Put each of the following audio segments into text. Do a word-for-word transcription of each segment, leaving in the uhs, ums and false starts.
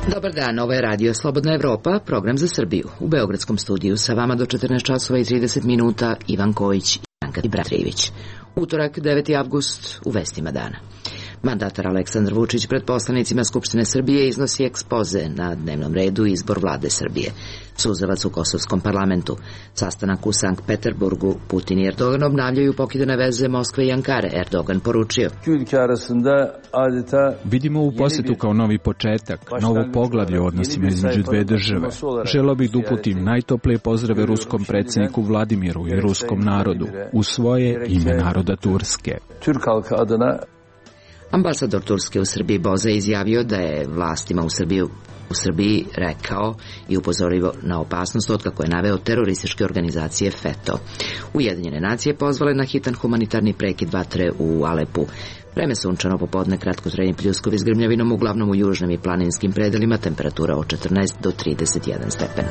Dobar dan, ovo je Radio Slobodna Evropa, program za Srbiju. U Beogradskom studiju sa vama do četrnaest časova i trideset minuta Ivan Kojić i Janka Bratrijević. Utorak, deveti avgust, u vestima dana. Mandatar Aleksandar Vučić pred poslanicima Skupštine Srbije iznosi ekspoze na dnevnom redu izbor vlade Srbije. Suzavac u Kosovskom parlamentu. Sastanak u Sankt Peterburgu. Putin i Erdogan obnavljaju pokidane veze Moskve i Ankare. Erdogan poručio: Vidimo u posetu kao novi početak, novo poglavlje u odnosima između dve države. Želeo bih da uputim najtoplije pozdrave ruskom predsjedniku Vladimiru i ruskom narodu u svoje ime naroda Turske. Ambasador Turske u Srbiji Boza je izjavio da je vlastima u Srbiji, u Srbiji rekao i upozorio na opasnost otkako je naveo terorističke organizacije FETO. Ujedinjene nacije pozvale na hitan humanitarni prekid vatre u Alepu. Vreme sunčano popodne, kratkotrajni pljuskovi s grmljavinom, uglavnom u južnim i planinskim predelima, temperatura od četrnaest do trideset jedan stepen.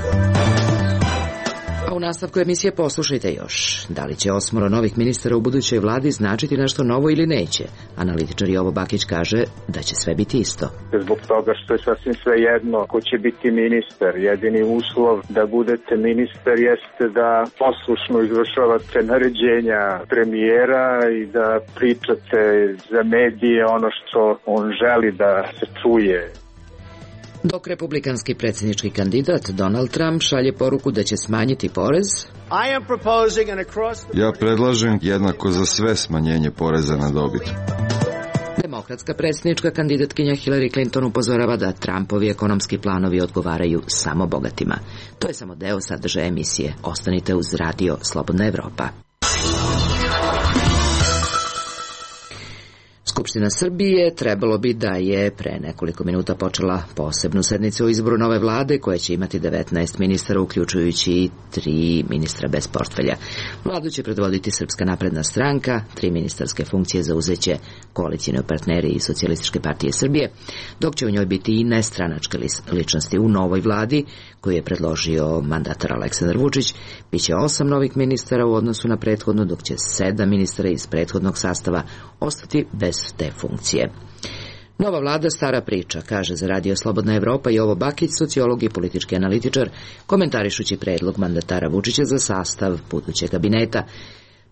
A u nastavku emisije poslušajte još. Da li će osmoro novih ministara u budućoj vladi značiti nešto novo ili neće? Analitičar Jovo Bakić kaže da će sve biti isto. Zbog toga što je sasvim sve jedno ko će biti ministar. Jedini uslov da budete ministar jeste da poslušno izvršavate naređenja premijera i da pričate za medije ono što on želi da se čuje. Dok republikanski predsjednički kandidat Donald Trump šalje poruku da će smanjiti porez, ja predlažem jednako za sve smanjenje poreza na dobit. Demokratska predsjednička kandidatkinja Hillary Clinton upozorava da Trumpovi ekonomski planovi odgovaraju samo bogatima. To je samo deo sadržaja emisije. Ostanite uz Radio Slobodna Evropa. Skupština Srbije trebalo bi da je pre nekoliko minuta počela posebnu sednicu o izboru nove vlade koja će imati devetnaest ministara, uključujući i tri ministra bez portfelja. Vladu će predvoditi Srpska napredna stranka, tri ministarske funkcije zauzeće koalicijni partneri i Socijalističke partije Srbije, dok će u njoj biti i nestranačke ličnosti. U novoj vladi koju je predložio mandatar Aleksandar Vučić biće osam novih ministara u odnosu na prethodno, dok će sedam ministara iz prethodnog sastava ostati bez te funkcije. Nova vlada, stara priča, kaže za Radio Slobodna Evropa Jovo Bakić, sociolog i politički analitičar, komentarišući predlog mandatara Vučića za sastav budućeg kabineta.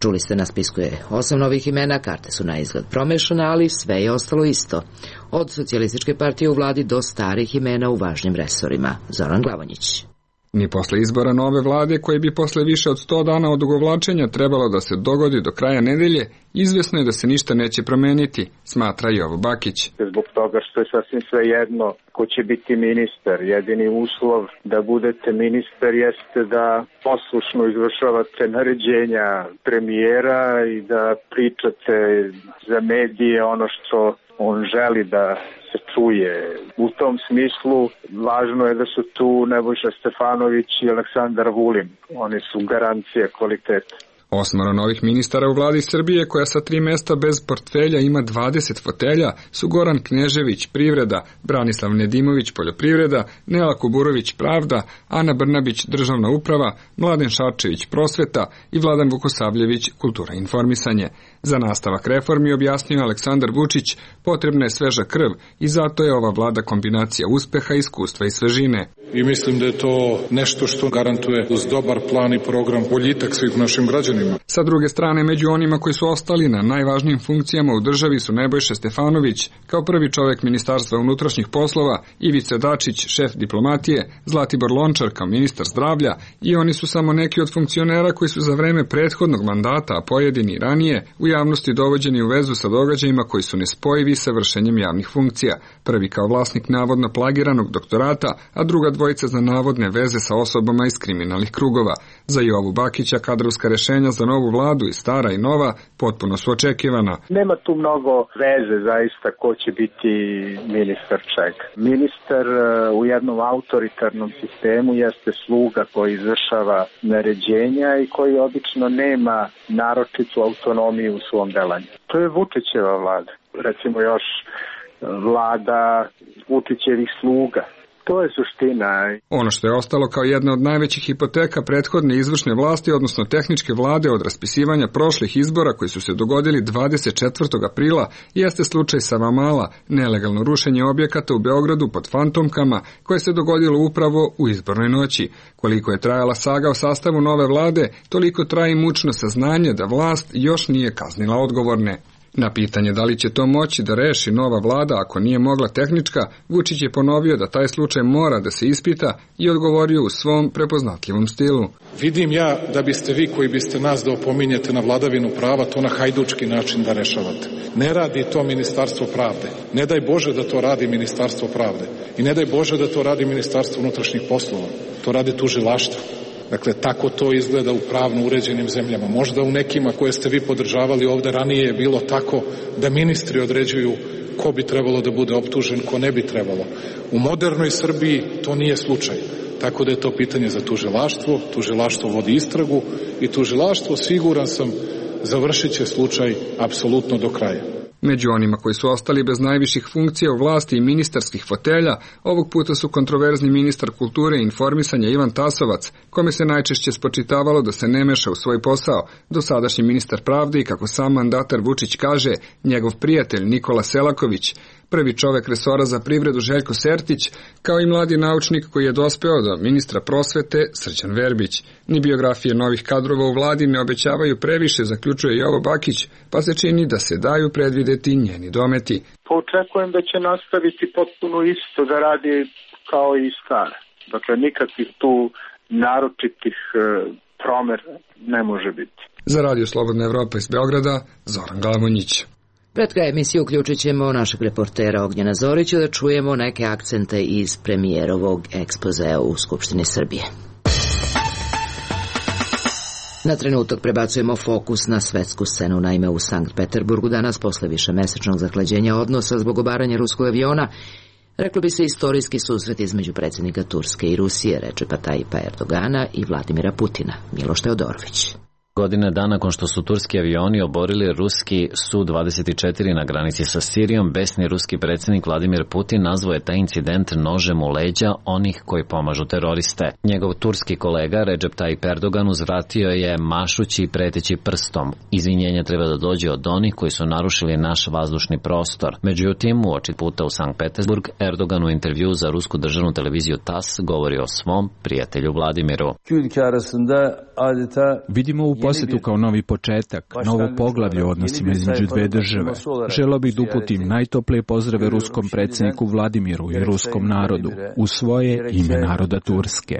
Čuli ste, na spisku je osam novih imena, karte su na izgled promešane, ali sve je ostalo isto. Od Socijalističke partije u vladi do starih imena u važnim resorima. Zoran Glavonjić. Ni posle izbora nove vlade, koje bi posle više od sto dana odugovlačenja trebalo da se dogodi do kraja nedelje, izvesno je da se ništa neće promeniti, smatra Jovo Bakić. Zbog toga što je sasvim sve jedno ko će biti ministar. Jedini uslov da budete ministar jeste da poslušno izvršavate naređenja premijera i da pričate za medije ono što on želi da se čuje. U tom smislu važno je da su tu Nebojša Stefanović i Aleksandar Vulin. Oni su garancija kvaliteta. Osmoro novih ministara u vladi Srbije, koja sa tri mesta bez portfelja ima dvadeset fotelja, su Goran Knežević, privreda, Branislav Nedimović, poljoprivreda, Nela Kuburović, pravda, Ana Brnabić, državna uprava, Mladen Šarčević, prosveta i Vladan Vukosavljević, kultura i informisanje. Za nastavak reformi, objasnio Aleksandar Vučić, potrebna je sveža krv i zato je ova vlada kombinacija uspeha, iskustva i svežine. I mislim da je to nešto što garantuje uz dobar plan i program boljitak svih našim građanima. Sa druge strane, među onima koji su ostali na najvažnijim funkcijama u državi su Nebojša Stefanović, kao prvi čovek Ministarstva unutrašnjih poslova, Ivica Dačić, šef diplomatije, Zlatibor Lončar kao ministar zdravlja, i oni su samo neki od funkcionera koji su za vreme prethodnog mandata, a pojedini i ranije, u javnosti dovođeni u vezu sa događajima koji su nespojivi sa vršenjem javnih funkcija. Prvi kao vlasnik navodno plagiranog doktorata, a druga dvojica za navodne veze sa osobama iz kriminalnih krugova. Za Jovu Bakića kadrovska rešenja za novu vladu, i stara i nova, potpuno su očekivana. Nema tu mnogo veze zaista ko će biti ministar čega. Ministar u jednom autoritarnom sistemu jeste sluga koji izvršava naređenja i koji obično nema naročitu autonomiju u svom delanju. To je Vučićeva vlada. Recimo još vlada Vučićevih sluga. To je suština. Ono što je ostalo kao jedna od najvećih hipoteka prethodne izvršne vlasti, odnosno tehničke vlade od raspisivanja prošlih izbora koji su se dogodili dvadeset četvrtog aprila, jeste slučaj Savamala, nelegalno rušenje objekata u Beogradu pod fantomkama koje se dogodilo upravo u izbornoj noći. Koliko je trajala saga o sastavu nove vlade, toliko traje mučno saznanje da vlast još nije kaznila odgovorne. Na pitanje da li će to moći da reši nova vlada ako nije mogla tehnička, Vučić je ponovio da taj slučaj mora da se ispita i odgovorio u svom prepoznatljivom stilu. Vidim ja da biste vi koji biste nas da opominjete na vladavinu prava to na hajdučki način da rešavate. Ne radi to Ministarstvo pravde. Ne daj Bože da to radi Ministarstvo pravde. I ne daj Bože da to radi Ministarstvo unutrašnjih poslova. To radi tužilaštvo. Dakle, tako to izgleda u pravno uređenim zemljama. Možda u nekima koje ste vi podržavali ovde ranije je bilo tako da ministri određuju ko bi trebalo da bude optužen, ko ne bi trebalo. U modernoj Srbiji to nije slučaj. Tako da je to pitanje za tužilaštvo. Tužilaštvo vodi istragu i tužilaštvo, siguran sam, završit će slučaj apsolutno do kraja. Među onima koji su ostali bez najviših funkcija u vlasti i ministarskih fotelja, ovog puta su kontroverzni ministar kulture i informisanja Ivan Tasovac, kome se najčešće spočitavalo da se ne meša u svoj posao, dosadašnji ministar pravde i, kako sam mandatar Vučić kaže, njegov prijatelj Nikola Selaković, prvi čovek resora za privredu Željko Sertić, kao i mladi naučnik koji je dospeo do ministra prosvete Srđan Verbić. Ni biografije novih kadrova u vladi ne obećavaju previše, zaključuje Jovo Bakić, pa se čini da se daju predvideti njeni dometi. Očekujem da će nastaviti potpuno isto da radi kao i stare. Dakle, nikakvih tu naročitih e, promera ne može biti. Za Radio Slobodna Evropa iz Beograda, Zoran Glamonjić. Pred kraj emisije uključit ćemo našeg reportera Ognjena Zorića da čujemo neke akcente iz premijerovog ekspozea u Skupštini Srbije. Na trenutak prebacujemo fokus na svetsku scenu. Naime, u Sankt Peterburgu danas, posle višemesečnog zahlađenja odnosa zbog obaranja ruskog aviona, reklo bi se istorijski susret između predsjednika Turske i Rusije, Redžepa Tajipa Erdogana i Vladimira Putina. Miloš Teodorović. Godine dana nakon što su turski avioni oborili ruski Su dvadeset četiri na granici sa Sirijom, besni ruski predsjednik Vladimir Putin nazvao je taj incident nožem u leđa onih koji pomažu teroriste. Njegov turski kolega Redžep Tajip Erdogan uzvratio je mašući i preteći prstom. Izvinjenje treba da dođe od onih koji su narušili naš vazdušni prostor. Međutim, uoči puta u Sankt Petersburg, Erdogan u intervju za rusku državnu televiziju TAS govori o svom prijatelju Vladimiru. Vidimo u posjetu kao novi početak, novo poglavlje u odnosima između dve države. Želeo bih da uputim najtoplije pozdrave ruskom predsjedniku Vladimiru i ruskom narodu u svoje ime naroda Turske.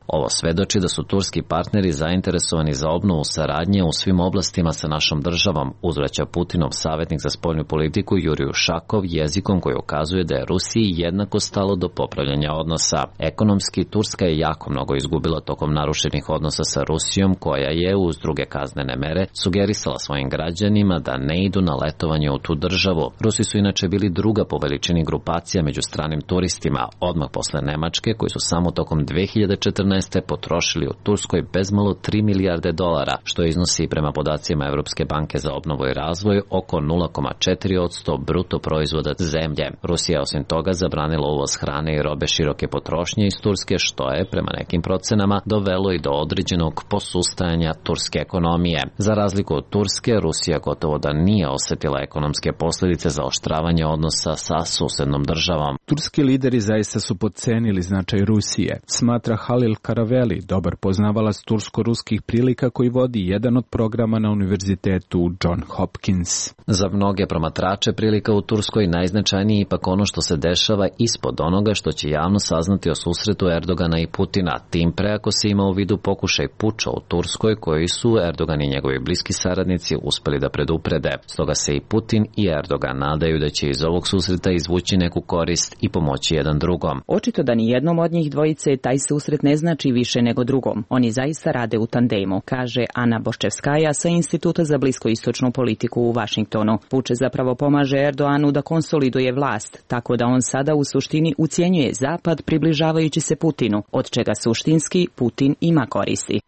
Ovo svedoči da su turski partneri zainteresovani za obnovu saradnje u svim oblastima sa našom državom, uzvraća Putinov savjetnik za spoljnu politiku Jurij Ušakov jezikom koji ukazuje da je Rusiji jednako stalo do popravljanja odnosa. Ekonomski, Turska je jako mnogo izgubila tokom narušenih odnosa sa Rusijom, koja je uz druge kaznene mere sugerisala svojim građanima da ne idu na letovanje u tu državu. Rusi su inače bili druga po veličini grupacija među stranim turistima, odmah posle Nemačke, koji su samo tokom dve hiljade četrnaeste. potrošili u Turskoj bezmalo tri milijarde dolara, što iznosi prema podacima Evropske banke za obnovu i razvoj oko nula zarez četiri posto bruto proizvoda zemlje. Rusija osim toga zabranila uvoz hrane i robe široke potrošnje iz Turske, što je prema nekim procenama dovelo i do određenog posustajanja turske ekonomije. Za razliku od Turske, Rusija gotovo da nije osetila ekonomske posljedice zaoštravanja odnosa sa susednom državom. Turski lideri zaista su podcenili značaj Rusije, smatra Halil Karaveli, dobar poznavalac tursko-ruskih prilika koji vodi jedan od programa na univerzitetu John Hopkins. Za mnoge promatrače prilika u Turskoj najznačajniji ipak ono što se dešava ispod onoga što će javno saznati o susretu Erdogana i Putina, tim pre ako se ima u vidu pokušaj puča u Turskoj koji su Erdogan i njegovi bliski saradnici uspeli da preduprede. Stoga se i Putin i Erdogan nadaju da će iz ovog susreta izvući neku korist i pomoći jedan drugom. Očito da ni jednom od njih dvojice taj susret ne znači više nego drugom. Oni zaista rade u tandemu, kaže Ana Boščevskaja sa Instituta za bliskoistočnu politiku u Vašingtonu. Vučić zapravo pomaže Erdoganu da konsoliduje vlast, tako da on sada u suštini ucjenjuje Zapad približavajući se Putinu, od čega suštinski Putin ima koristi.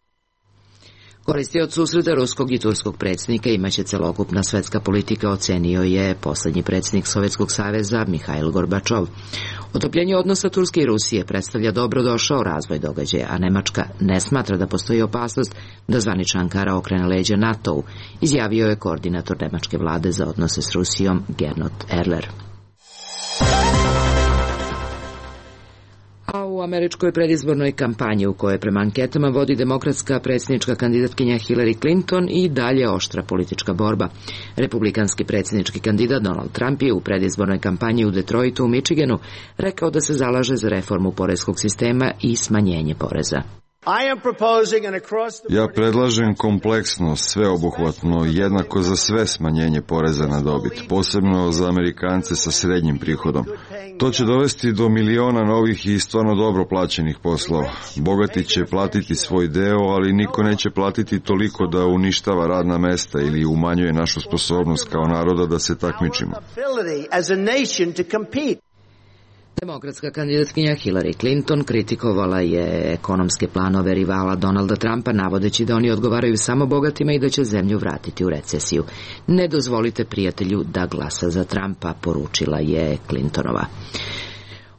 Koristi od susreta ruskog i turskog predsjednika imaće celokupna svetska politika, ocenio je poslednji predsjednik Sovjetskog saveza Mihail Gorbačov. Otopljenje odnosa Turske i Rusije predstavlja dobrodošao razvoj događaja, a Nemačka ne smatra da postoji opasnost da zvanična Ankara okrene leđa NATO-u, izjavio je koordinator nemačke vlade za odnose s Rusijom Gernot Erler. A u američkoj predizbornoj kampanji u kojoj prema anketama vodi demokratska predsjednička kandidatkinja Hillary Clinton i dalje oštra politička borba. Republikanski predsjednički kandidat Donald Trump je u predizbornoj kampanji u Detroitu u Michiganu rekao da se zalaže za reformu poreskog sistema i smanjenje poreza. Ja predlažem kompleksno, sveobuhvatno, jednako za sve smanjenje poreza na dobit, posebno za Amerikance sa srednjim prihodom. To će dovesti do miliona novih i stvarno dobro plaćenih poslova. Bogati će platiti svoj deo, ali niko neće platiti toliko da uništava radna mesta ili umanjuje našu sposobnost kao naroda da se takmičimo. Demokratska kandidatkinja Hillary Clinton kritikovala je ekonomske planove rivala Donalda Trumpa, navodeći da oni odgovaraju samo bogatima i da će zemlju vratiti u recesiju. Ne dozvolite prijatelju da glasa za Trumpa, poručila je Clintonova.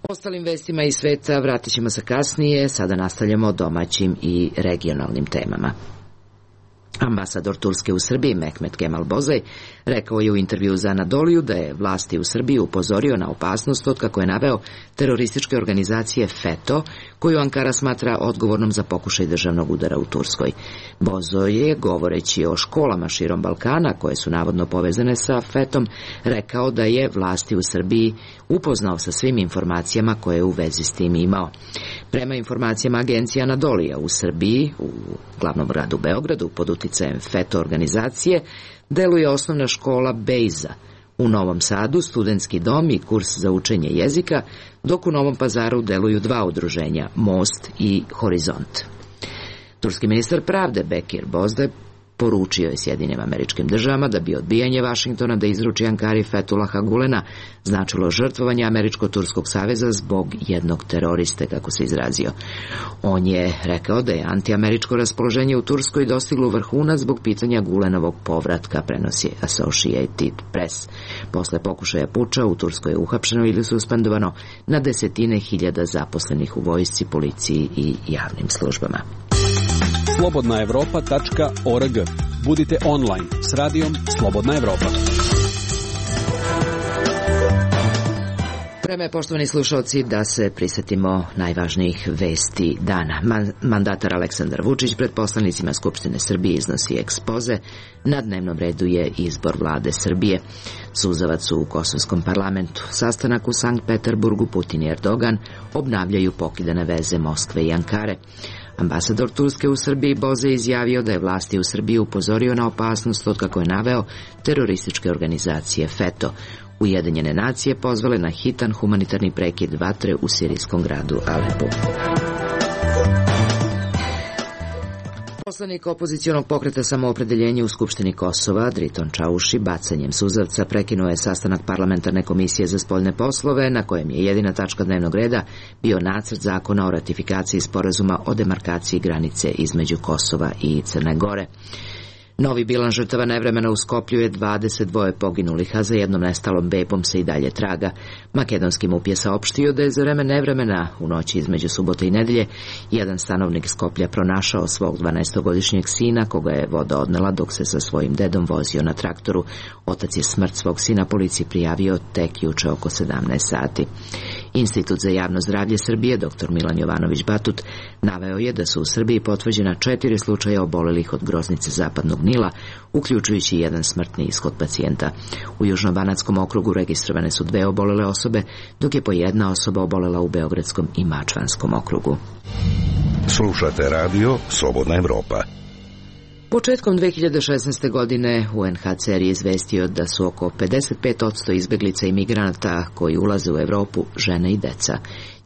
Ostalim vestima iz sveta vratit ćemo se kasnije, sada nastavljamo domaćim i regionalnim temama. Ambasador Turske u Srbiji Mehmet Kemal Bozaj rekao je u intervjuu za Anadoliju da je vlasti u Srbiji upozorio na opasnost od, kako je naveo, terorističke organizacije FETO, koju Ankara smatra odgovornom za pokušaj državnog udara u Turskoj. Bozoj je, govoreći o školama širom Balkana, koje su navodno povezane sa FETom, rekao da je vlasti u Srbiji upoznao sa svim informacijama koje je u vezi s tim imao. Prema informacijama agencije Anadolija u Srbiji, u glavnom gradu Beogradu, pod uticajem FETO organizacije, deluje osnovna škola Bejza. U Novom Sadu studentski dom i kurs za učenje jezika, dok u Novom Pazaru deluju dva udruženja, Most i Horizont. Turski ministar pravde Bekir Bozdaj poručio je Sjedinjenim Američkim Državama da bi odbijanje Vašingtona da izruči Ankari Fethullaha Gulena značilo žrtvovanje Američko-Turskog saveza zbog jednog teroriste, kako se izrazio. On je rekao da je antiameričko raspoloženje u Turskoj dostiglo vrhunac zbog pitanja Gulenovog povratka, prenosi Associated Press. Posle pokušaja puča u Turskoj je uhapšeno ili suspendovano na desetine hiljada zaposlenih u vojsci, policiji i javnim službama. slobodna evropa tačka org. Budite online s radijom Slobodna Evropa. Vreme je, poštovani slušalci, da se prisetimo najvažnijih vesti dana. Mandatar Aleksandar Vučić pred poslanicima Skupštine Srbije iznosi ekspoze. Na dnevnom redu je izbor vlade Srbije. Suzavac u kosovskom parlamentu. Sastanak u Sankt Peterburgu. Putin i Erdogan obnavljaju pokidane veze Moskve i Ankare. Ambasador Turske u Srbiji Boze izjavio da je vlasti u Srbiji upozorio na opasnost od, kako je naveo, terorističke organizacije FETO. Ujedinjene nacije pozvale na hitan humanitarni prekid vatre u sirijskom gradu Alepu. Poslanik opozicionog pokreta Samoopredeljenje u Skupštini Kosova, Driton Čauši, bacanjem suzavca prekinuo je sastanak parlamentarne komisije za spoljne poslove, na kojem je jedina tačka dnevnog reda bio nacrt zakona o ratifikaciji sporazuma o demarkaciji granice između Kosova i Crne Gore. Novi bilans žrtava nevremena u Skoplju je dvadeset dva poginulih, a za jednom nestalom bebom se i dalje traga. Makedonski MUP je saopštio da je za vreme nevremena u noći između subote i nedelje jedan stanovnik Skoplja pronašao svog dvanaestogodišnjeg sina, koga je voda odnela dok se sa svojim dedom vozio na traktoru. Otac je smrt svog sina policiji prijavio tek juče oko sedamnaest sati. Institut za javno zdravlje Srbije, dr Milan Jovanović Batut, naveo je da su u Srbiji potvrđena četiri slučaja obolelih od groznice zapadnog Nila, uključujući jedan smrtni ishod pacijenta. U Južnobanatskom okrugu registrovane su dve obolele osobe, dok je po jedna osoba obolela u Beogradskom i Mačvanskom okrugu. Slušate radio Slobodna Evropa. Početkom dve hiljade šesnaeste. godine U N H C R je izvestio da su oko pedeset pet posto izbeglica i migranata koji ulaze u Evropu žene i deca.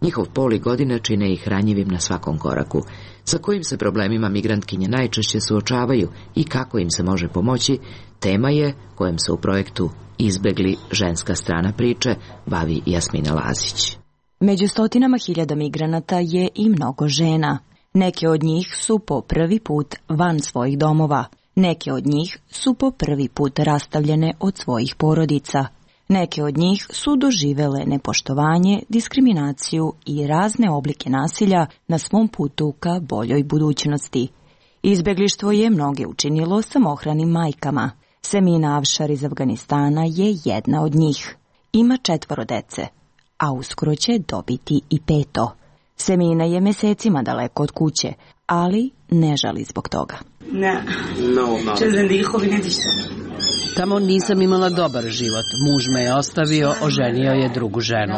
Njihov pol i godine čine ih ranjivim na svakom koraku. Sa kojim se problemima migrantkinje najčešće suočavaju i kako im se može pomoći, tema je kojom se u projektu Izbegli ženska strana priče bavi Jasmina Lazić. Među stotinama hiljada migranata je i mnogo žena. Neke od njih su po prvi put van svojih domova. Neke od njih su po prvi put rastavljene od svojih porodica. Neke od njih su doživele nepoštovanje, diskriminaciju i razne oblike nasilja na svom putu ka boljoj budućnosti. Izbeglištvo je mnoge učinilo samohranim majkama. Semina Avšar iz Afganistana je jedna od njih. Ima četvoro dece, a uskoro će dobiti i peto. Semina je mesecima daleko od kuće, ali ne žali zbog toga. Ne, tamo nisam imala dobar život. Muž me je ostavio, oženio je drugu ženu.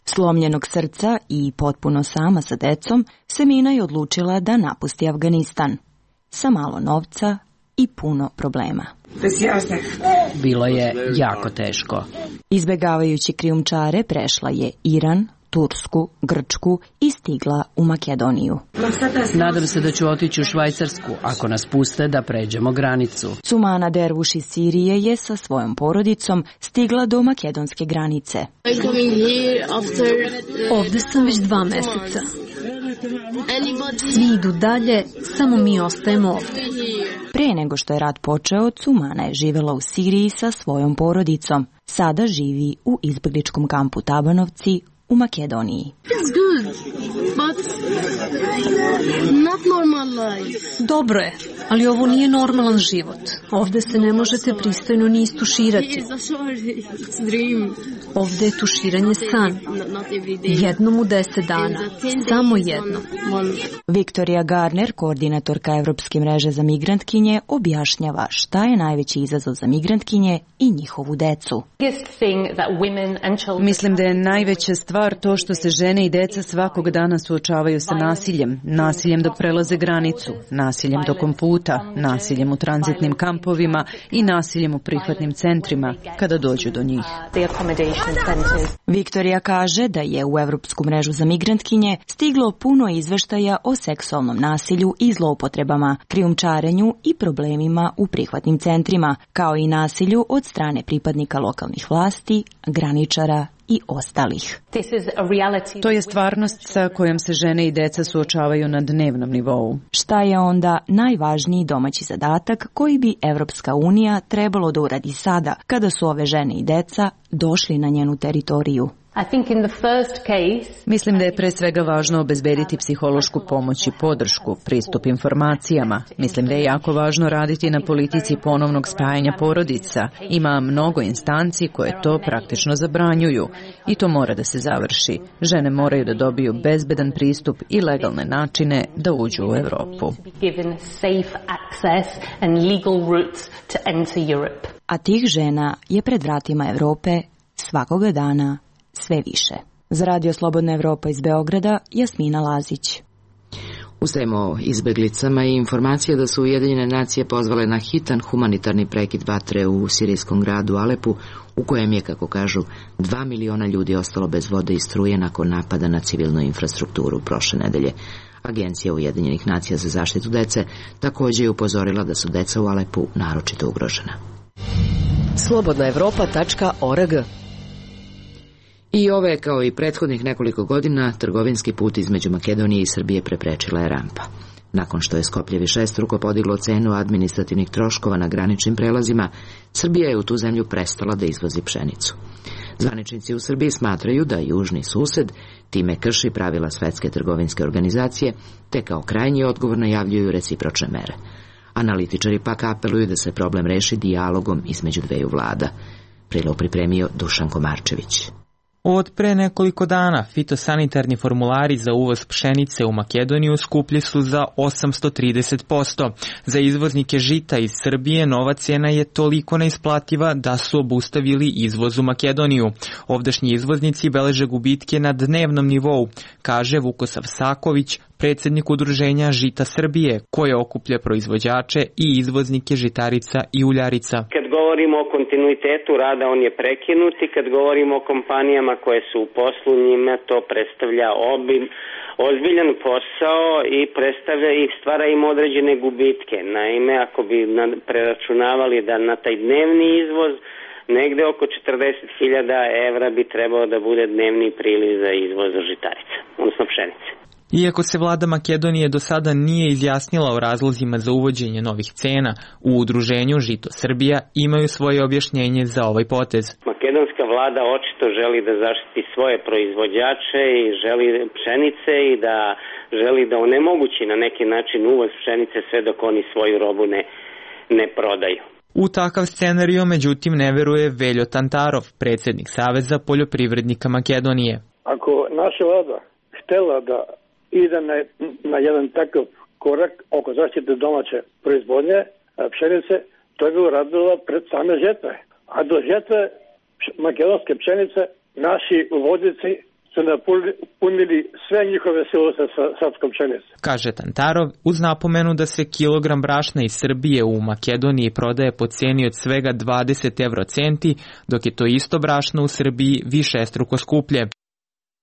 Slomljenog srca i potpuno sama sa decom, Semina je odlučila da napusti Afganistan. Sa malo novca i puno problema. Bilo je jako teško. Izbegavajući krijumčare prešla je Iran, Tursku, Grčku i stigla u Makedoniju. Nadam se da ću otići u Švajcarsku ako nas puste da pređemo granicu. Sumana Dervuš iz Sirije je sa svojom porodicom stigla do makedonske granice. Ovde sam već dva meseca. Svi idu dalje, samo mi ostajemo ovde. Pre nego što je rat počeo, Sumana je živela u Siriji sa svojom porodicom. Sada živi u izbegličkom kampu Tabanovci u Makedoniji. Dobro je, ali ovo nije normalan život. Ovde se ne možete pristojno ni istuširati. Ovde je tuširanje san. Jednom u deset dana. Samo jednom. Viktorija Garner, koordinatorka Evropske mreže za migrantkinje, objašnjava šta je najveći izazov za migrantkinje i njihovu decu. Mislim da je najveća stvar to što se žene i deca svakog dana suočavaju sa nasiljem. Nasiljem dok prelaze granicu, nasiljem tokom puta, nasiljem u tranzitnim kampovima i nasiljem u prihvatnim centrima kada dođu do njih. Viktorija kaže da je u Evropsku mrežu za migrantkinje stiglo puno izveštaja o seksualnom nasilju i zloupotrebama, krijumčarenju i problemima u prihvatnim centrima, kao i nasilju od strane pripadnika lokalnih vlasti, graničara i ostalih. To je stvarnost sa kojom se žene i deca suočavaju na dnevnom nivou. Šta je onda najvažniji domaći zadatak koji bi Evropska unija trebalo da uradi sada kada su ove žene i deca došli na njenu teritoriju? Mislim da je pre svega važno obezbediti psihološku pomoć i podršku, pristup informacijama. Mislim da je jako važno raditi na politici ponovnog spajanja porodica. Ima mnogo instanci koje to praktično zabranjuju i to mora da se završi. Žene moraju da dobiju bezbedan pristup i legalne načine da uđu u Evropu. A tih žena je pred vratima Evrope svakoga dana sve više. Za Radio Slobodna Evropa iz Beograda, Jasmina Lazić. Ustajemo o izbeglicama i informacije da su Ujedinjene nacije pozvale na hitan humanitarni prekid vatre u sirijskom gradu Alepu, u kojem je, kako kažu, dva miliona ljudi ostalo bez vode i struje nakon napada na civilnu infrastrukturu prošle nedelje. Agencija Ujedinjenih nacija za zaštitu dece također je upozorila da su deca u Alepu naročito ugrožena. slobodna evropa tačka org. I ove, kao i prethodnih nekoliko godina, trgovinski put između Makedonije i Srbije preprečila je rampa. Nakon što je Skoplje višestruko podiglo cenu administrativnih troškova na graničnim prelazima, Srbija je u tu zemlju prestala da izvozi pšenicu. Zvaničnici u Srbiji smatraju da južni sused time krši pravila Svetske trgovinske organizacije, te kao krajnji odgovor najavljuju recipročne mere. Analitičari pak apeluju da se problem reši dijalogom između dveju vlada. Prilog pripremio Dušan Komarčević. Od pre nekoliko dana fitosanitarni formulari za uvoz pšenice u Makedoniju skuplji su za osamsto trideset posto. Za izvoznike žita iz Srbije nova cena je toliko neisplativa da su obustavili izvoz u Makedoniju. Ovdašnji izvoznici beleže gubitke na dnevnom nivou, kaže Vukosav Saković, predsjednik udruženja Žita Srbije, koje okuplja proizvođače i izvoznike žitarica i uljarica. Kad govorimo o kontinuitetu rada, on je prekinut i kad govorimo o kompanijama koje su u poslu, njima to predstavlja obim, ozbiljan posao i predstavlja i stvara im određene gubitke. Naime, ako bi preračunavali da na taj dnevni izvoz, negde oko četrdeset hiljada evra bi trebao da bude dnevni priliv za izvoz žitarica, odnosno pšenice. Iako se vlada Makedonije do sada nije izjasnila o razlozima za uvođenje novih cena, u udruženju Žito Srbija imaju svoje objašnjenje za ovaj potez. Makedonska vlada očito želi da zaštiti svoje proizvođače i želi pšenice i da želi da onemogući na neki način uvoz pšenice sve dok oni svoju robu ne, ne prodaju. U takav scenario, međutim, ne veruje Veljo Tantarov, predsjednik Saveza poljoprivrednika Makedonije. Ako naša vlada htela da ide na, na jedan takav korak oko zaštite domaće proizvodnje pšenice, to je bilo radila pred same žetve. A do žetve makedonske pšenice naši uvoznici su napunili sve njihove silose sa srpskom pšenicom. Kaže Tantarov, uz napomenu da se kilogram brašna iz Srbije u Makedoniji prodaje po cijeni od svega dvadeset evrocenti, dok je to isto brašno u Srbiji višestruko skuplje.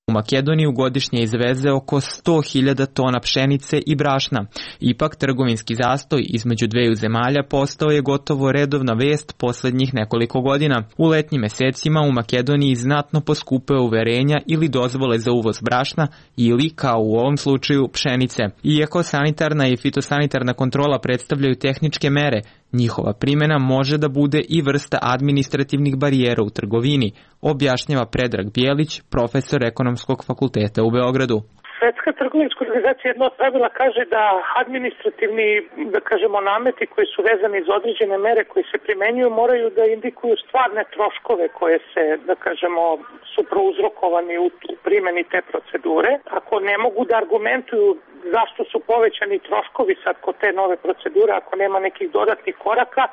U Makedoniju godišnje izveze oko sto hiljada tona pšenice i brašna. Ipak trgovinski zastoj između dveju zemalja postao je gotovo redovna vest posljednjih nekoliko godina. U letnjim mesecima u Makedoniji znatno poskupe uverenja ili dozvole za uvoz brašna ili, kao u ovom slučaju, pšenice. Iako sanitarna i fitosanitarna kontrola predstavljaju tehničke mere, njihova primjena može da bude i vrsta administrativnih barijera u trgovini, objašnjava Predrag Bijelić, profesor ekonomskog fakulteta u Beogradu. Svetska trgovinska organizacija jedno od pravila kaže da administrativni, da kažemo, nameti koji su vezani za određene mere koji se primenjuju moraju da indikuju stvarne troškove koje se, da kažemo, su prouzrokovani u, u primjeni te procedure. Ako ne mogu da argumentuju zašto su povećani troškovi sad kod te nove procedure, ako nema nekih dodatnih koraka,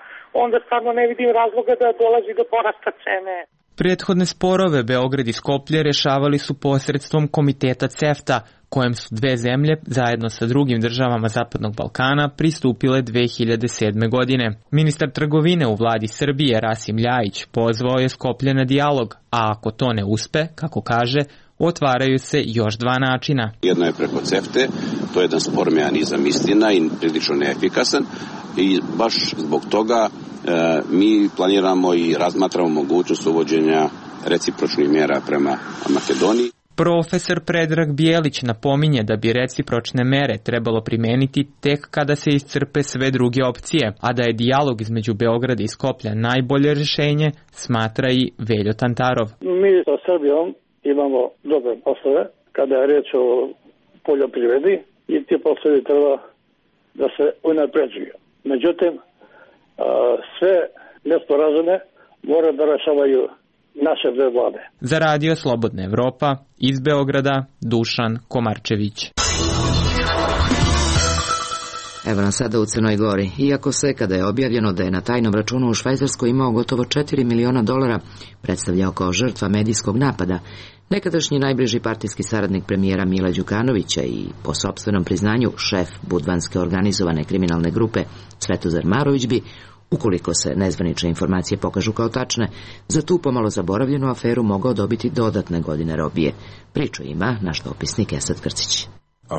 onda stvarno ne vidim razloga da dolazi do porasta cene. Prethodne sporove Beograd i Skoplje rešavali su posredstvom komiteta CEFTA, kojem su dve zemlje, zajedno sa drugim državama Zapadnog Balkana, pristupile dve hiljade sedme. godine. Ministar trgovine u vladi Srbije, Rasim Ljajić, pozvao je Skoplje na dijalog, a ako to ne uspe, kako kaže, otvaraju se još dva načina. Jedno je preko CEFTE, to je jedan spor mehanizam istina i prilično neefikasan i baš zbog toga e, mi planiramo i razmatramo mogućnost uvođenja recipročnih mjera prema Makedoniji. Profesor Predrag Bijelić napominje da bi recipročne mere trebalo primeniti tek kada se iscrpe sve druge opcije, a da je dijalog između Beograda i Skoplja najbolje rješenje, smatra i Veljo Tantarov. Mi sa Srbijom imamo dobre poslove kada je reč o poljoprivredi i ti poslovi treba da se unapređuju. Međutim, sve nesporazume mora da rešavaju naše dve vlade. Za radio Slobodna Evropa, iz Beograda, Dušan Komarčević. Evo nam sada u Crnoj Gori. Iako se, kada je objavljeno da je na tajnom računu u Švajcarskoj imao gotovo četiri miliona dolara, predstavljao kao žrtva medijskog napada, nekadašnji najbliži partijski saradnik premijera Mila Đukanovića i, po sopstvenom priznanju, šef budvanske organizovane kriminalne grupe Svetozar Marović bi, ukoliko se nezvanične informacije pokažu kao tačne, za tu pomalo zaboravljenu aferu mogao dobiti dodatne godine robije. Priču ima naš dopisnik Esad Krcić.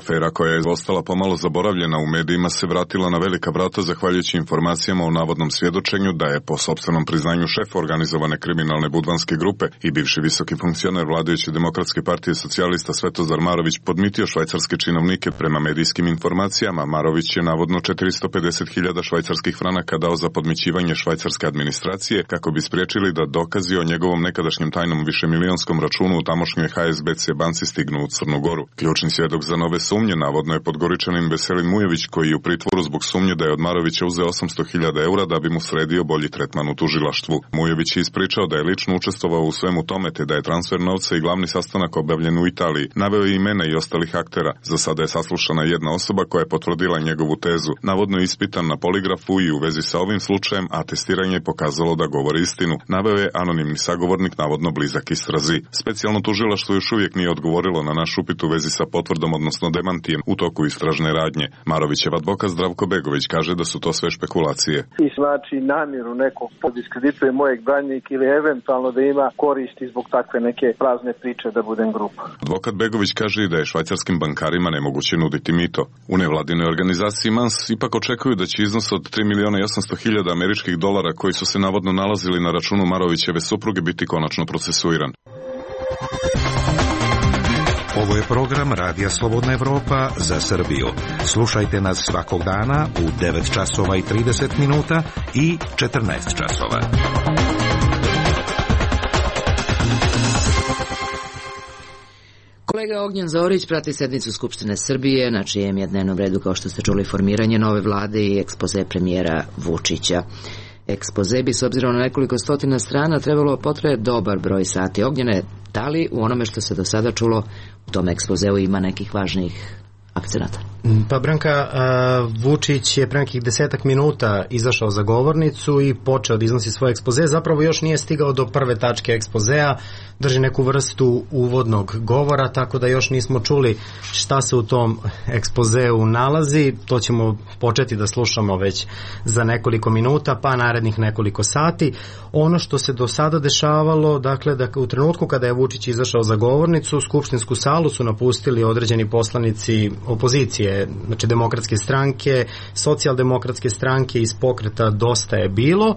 Afera koja je ostala pomalo zaboravljena u medijima se vratila na velika vrata zahvaljujući informacijama o navodnom svjedočenju da je po sopstvenom priznanju šef organizovane kriminalne budvanske grupe i bivši visoki funkcioner vladajuće Demokratske partije socijalista Svetozar Marović podmitio švajcarske činovnike. Prema medijskim informacijama, Marović je navodno četiristo pedeset hiljada švajcarskih franaka dao za podmićivanje švajcarske administracije kako bi spriječili da dokazi o njegovom nekadašnjem tajnom višemilionskom računu u tamošnjoj H S B C banci stignu u Crnu Goru. Ključni svjedok za nove sumnje navodno je Podgoričanin Veselin Mujević, koji je u pritvoru zbog sumnje da je od Marovića uzeo osamsto hiljada eura da bi mu sredio bolji tretman u tužilaštvu. Mujević je ispričao da je lično učestvovao u svemu tome te da je transfer novca i glavni sastanak obavljen u Italiji. Naveo je imena i ostalih aktera. Za sada je saslušana jedna osoba koja je potvrdila njegovu tezu. Navodno je ispitan na poligrafu i u vezi sa ovim slučajem, a testiranje je pokazalo da govori istinu. Naveo je anonimni sagovornik, navodno blizak istrazi. Specijalno tužilaštvo još uvijek nije odgovorilo na naš upit u vezi sa potvrdom, odnosno demantijem u toku istražne radnje. Marovićev advokat Zdravko Begović kaže da su to sve špekulacije. I znači namjeru nekog podiskredituje mojeg branjenika ili eventualno da ima koristi zbog takve neke prazne priče da budem grupa. Advokat Begović kaže i da je švajcarskim bankarima nemoguće nuditi mito. U nevladinoj organizaciji Mans ipak očekuju da će iznos od tri miliona i osamsto hiljada američkih dolara koji su se navodno nalazili na računu Marovićeve supruge biti konačno procesuiran. Ovo je program Radija Slobodna Evropa za Srbiju. Slušajte nas svakog dana u devet časova i trideset minuta i četrnaest časova. Kolega Ognjen Zorić prati sednicu Skupštine Srbije, na čijem je dnevnom redu, kao što ste čuli, formiranje nove vlade i ekspoze premijera Vučića. Ekspoze bi, s obzirom na nekoliko stotina strana, trebalo potraje dobar broj sati. Ognjene, da li u onome što se do sada čulo u tom ekspozeu ima nekih važnijih akcenata? Pa Branka, Vučić je pre nekih desetak minuta izašao za govornicu i počeo da iznosi svoj ekspoze. Zapravo još nije stigao do prve tačke ekspozea, drži neku vrstu uvodnog govora, tako da još nismo čuli šta se u tom ekspozeu nalazi. To ćemo početi da slušamo već za nekoliko minuta, pa narednih nekoliko sati. Ono što se do sada dešavalo, dakle, da u trenutku kada je Vučić izašao za govornicu, skupštinsku salu su napustili određeni poslanici opozicije, znači Demokratske stranke, Socijaldemokratske stranke, iz pokreta Dosta je bilo.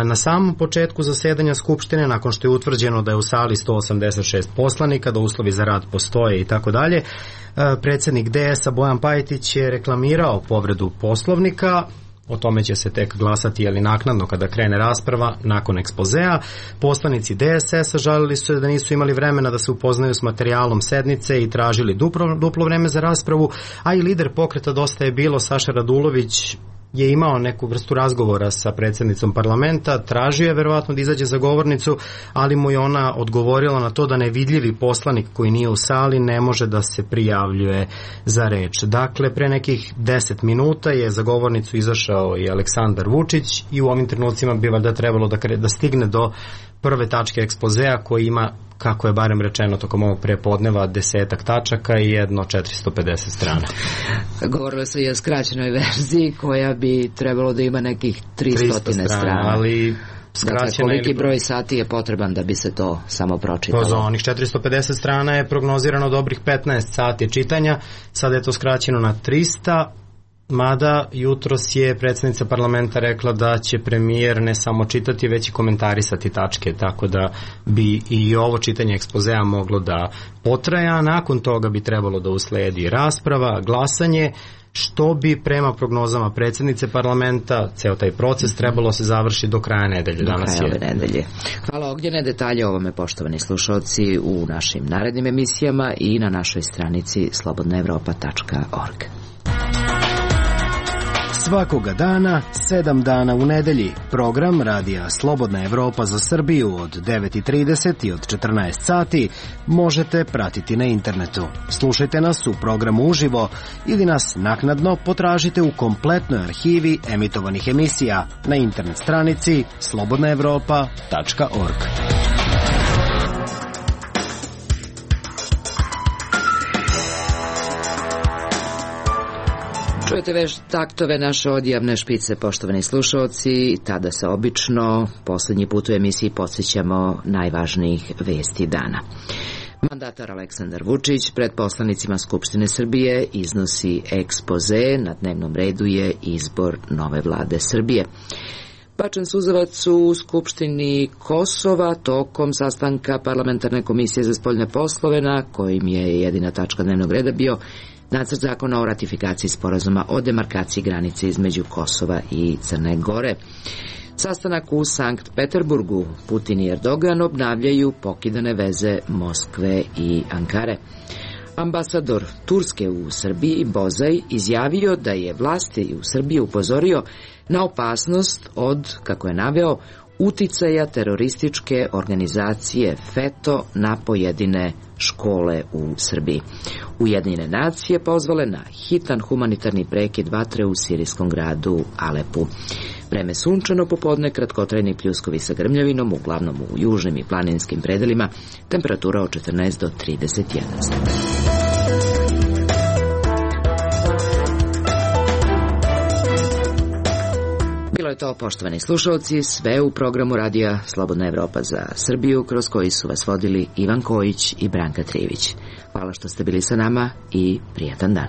Na samom početku zasedanja Skupštine, nakon što je utvrđeno da je u sali sto osamdeset šest poslanika, da uslovi za rad postoje i tako dalje, predsjednik D S-a Bojan Pajtić je reklamirao povredu Poslovnika. O tome će se tek glasati, jeli naknadno kada krene rasprava nakon ekspozea. Poslanici D S S-a žalili su da nisu imali vremena da se upoznaju s materijalom sednice i tražili duplo, duplo vreme za raspravu, a i lider pokreta Dosta je bilo, Saša Radulović, je imao neku vrstu razgovora sa predsjednicom parlamenta, tražio je verovatno da izađe za govornicu, ali mu je ona odgovorila na to da nevidljivi poslanik koji nije u sali ne može da se prijavljuje za reč. Dakle, pre nekih deset minuta je za govornicu izašao i Aleksandar Vučić i u ovim trenucima bi valjda trebalo da, kre, da stigne do prve tačke ekspozea koji ima, kako je barem rečeno tokom ovog prepodneva, desetak tačaka i jedno četiristo pedeset strana. Govorilo se i o skraćenoj verziji koja bi trebalo da ima nekih tristo strana. Ali dakle, koliki broj sati je potreban da bi se to samo pročitalo? Pa za onih četiristo pedeset strana je prognozirano dobrih petnaest sati čitanja, sada je to skraćeno na tristo. Mada jutros je predsjednica parlamenta rekla da će premijer ne samo čitati, već i komentarisati tačke, tako da bi i ovo čitanje ekspozea moglo da potraja, a nakon toga bi trebalo da usledi rasprava, glasanje, što bi prema prognozama predsjednice parlamenta ceo taj proces trebalo se završi do kraja nedelje. Do Danas kraja ove nedelje. Hvala Ognjene, detalje o ovome, poštovani slušalci, u našim narednim emisijama i na našoj stranici slobodna evropa tačka org. Svakoga dana, sedam dana u nedelji, program Radija Slobodna Evropa za Srbiju od devet i trideset i od četrnaest sati možete pratiti na internetu. Slušajte nas u programu uživo ili nas naknadno potražite u kompletnoj arhivi emitovanih emisija na internet stranici slobodna evropa tačka org. Čujete već taktove naše odjavne špice, poštovani slušalci, tada se obično posljednji put u emisiji podsjećamo najvažnijih vesti dana. Mandatar Aleksandar Vučić pred poslanicima Skupštine Srbije iznosi ekspoze, na dnevnom redu je izbor nove vlade Srbije. Bačen suzavac u Skupštini Kosova tokom sastanka Parlamentarne komisije za spoljne poslove, na kojim je jedina tačka dnevnog reda bio Nacrt zakona o ratifikaciji sporazuma o demarkaciji granice između Kosova i Crne Gore. Sastanak u Sankt Peterburgu. Putin i Erdogan obnavljaju pokidane veze Moskve i Ankare. Ambasador Turske u Srbiji Bozaj izjavio da je vlasti u Srbiji upozorio na opasnost od, kako je naveo, uticaja terorističke organizacije FETO na pojedine škole u Srbiji. Ujedinjene nacije pozvale na hitan humanitarni prekid vatre u sirijskom gradu Alepu. Vreme sunčano popodne, kratkotrajni pljuskovi sa grmljavinom, uglavnom u južnim i planinskim predelima, temperatura od četrnaest do trideset jedan stepeni. Bilo je to, poštovani slušalci, sve u programu Radija Slobodna Evropa za Srbiju, kroz koji su vas vodili Ivan Kojić i Branka Trivić. Hvala što ste bili sa nama i prijatan dan.